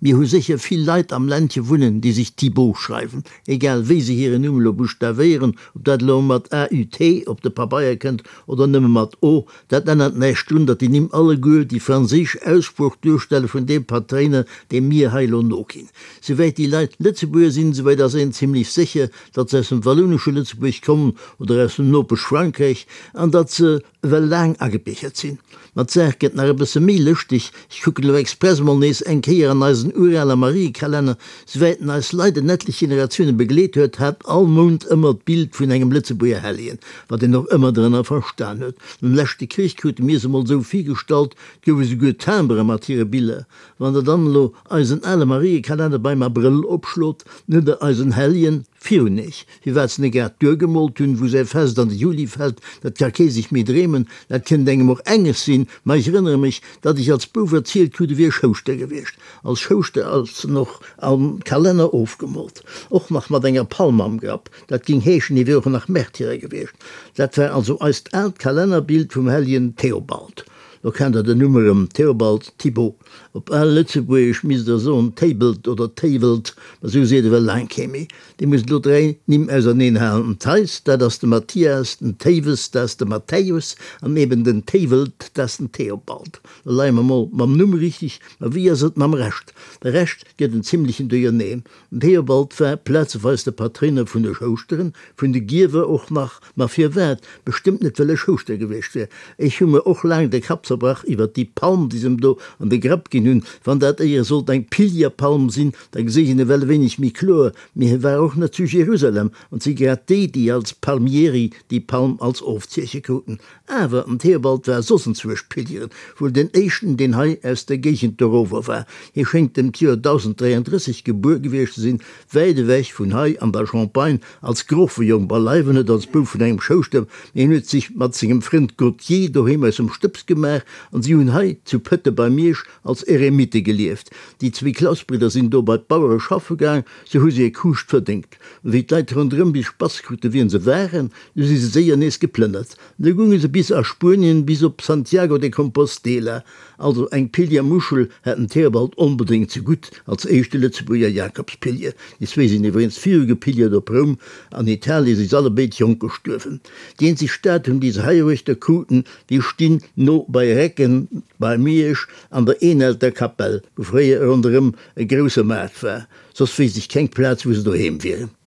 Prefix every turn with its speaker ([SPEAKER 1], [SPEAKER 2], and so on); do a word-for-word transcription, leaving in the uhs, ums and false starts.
[SPEAKER 1] Mir hu sécher vill Leit am Ländche wunnen, déi sech Thibaut schreiwen, egal wéi se hiren Numm elo buschtavéieren, ob dat elo mat A U T op de Pabeier kënnt oder nëmme mat O, dat ännert näischt drun, datt déi Nimm alleguer déi franséisch Aussprooch duerstelle vun deem Patréiner, deem mir hei elo noginn. Souwäit déi Leit Lëtzebuerger sinn, souwäit ass een zimlech sécher, datt se aus dem wallounesche Lëtzebuerg kommen oder aus dem Nopesch-Frankräich an datt se ewell laang agebiergert sinn. Ma d'Saach gëtt nach e bësse méi lëschteg, ech kucken elo express mol nees eng Kéier an eisen urale Mariekalenner, souwäit en eis Leit en etlech Generatioune begleet huet, hat all Mount ëmmer d'Bild vun engem Lëtzebuerger Hellegen, wat een och ëmmer drënner verstan huet. Nom leschte Krich krute mir se mol esou virgestallt, 't gouf esouguer Timbere mat hire Biller. Wann der dann elo eisen ale Mariekalenner beim Abrëll opschlot, dann hutt der eisen Helljen virun iech. Firwat se net grad duergemoolt hunn, wou säi Fest an de Juli fält, dat ka kee sech méi dreemen. Dat kënnt engem och enges sinn, ma ech erënnere mech, datt ech als Bouf erzielt krut, e wier Schouschter gewiescht. Als Schouschter ass en och am Kalenner ofgemoolt, och nach mat enger Palm am Grapp. Dat géing heeschen, hie wier och nach Märtyrer gewiescht. Dat war also eist aalt Kalennerbild vum Helljen Theobald. Lo kennt der den Numm erëm, Theobald, Thibaut. Op al Lëtzebuergesch misst der soen Théibelt oder Théiwelt, ma sou seet ewell laang kee méi. Dir musst elo dräi Nimm auserneen halen, den Theis, dat ass de Mathias, den Théiwes, dat ass de Matthäus, an eben den Théiwelt, dat ass den Theobald. Lo leie mer mol mam Numm richteg, ma wéi ass et mam Rescht? De Rescht gëtt en zimlechen Duerjerneen. Den Theobald war plazeweis de Patréiner vun de Schouschteren, vun de Giewer och nach. Ma firwat? Bestëmmt net well e Schouschter gewiescht wär. Ech hu mer och laang de Kapp zerbrach iwwert déi Palm, déi se em do an de Grapp ginn hunn. Wann dat éiere sollt eng Pilgerpalm sinn, da geséich een ewell e wéineg méi kloer. Mee hie war och net zu Jerusalem, an 't si grad déi, déi als Palmieri déi Palm als Ofzieche kruten. Awer den Theobald war soss enzwuesch pilgeren, wuel den éischten, deen hei aus der Géigend dorower war. Hie schéngt ëm d'Joer dausend dräiandrësseg gebuer gewiescht ze sinn, wäit ewech vun hei an der Champagne, als Grofejong, beileiwen net als Bouf vun engem Schouschter, mee hien huet sech mat sengem Frënd Gauthier doheem aus dem Stëbs gemaach an si hunn hei zu Pëtte bei Miersch als Eremite gelieft. Déi zwee Klausbridder sinn do bei d'Bauere schaffe gaang, sou hu si e Kuuscht verdéngt. An wéi d'Leit ronderëm bis Spass krute wien se waren, du si se séier nees geplënnert. An du gounge se bis a Spuenien, bis op Santiago de Compostela. Also eng Pilgermuschel hätt den Theobald onbedéngt zegutt, als éischte Lëtzebuerger Jakobspilger. Déi zwee sinn iwwregens viru gepilgert op Roum. An Italie si s'allebéid jonk gestuerwen. Déi eenzeg Statuen, déi se heiruechter kruten, déi stinn no bei Recken bei Miersch an der Eenelter Kapell, wou fréier ronderëm e grousse Maart war. Soss weess ech keng Plaz, wou se doheem wieren.